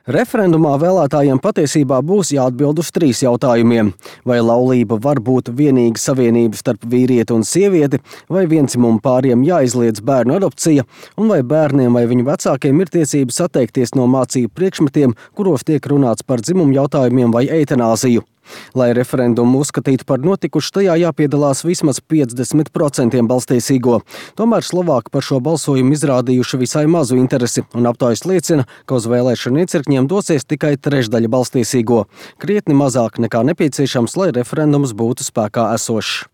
Referendumā vēlētājiem patiesībā būs jāatbild uz 3 jautājumiem. Vai laulība var būt vienīga savienība starp vīrieti un sievieti, vai viendzimumu pāriem jāizliedz bērnu adopcija, un vai bērniem vai viņu vecākiem ir tiesības atteikties no mācību priekšmetiem, kuros tiek runāts par dzimumu jautājumiem vai eitanāziju. Lai referendumu uzskatītu par notikušu, tajā jāpiedalās vismaz 50% balstīsīgo. Tomēr Slovāki par šo balsojumu izrādījuši visai mazu interesi, un aptaujas liecina, ka uz vēlēšanu iecirkņiem dosies tikai trešdaļa balstīsīgo. Krietni mazāk nekā nepieciešams, lai referendums būtu spēkā esošs.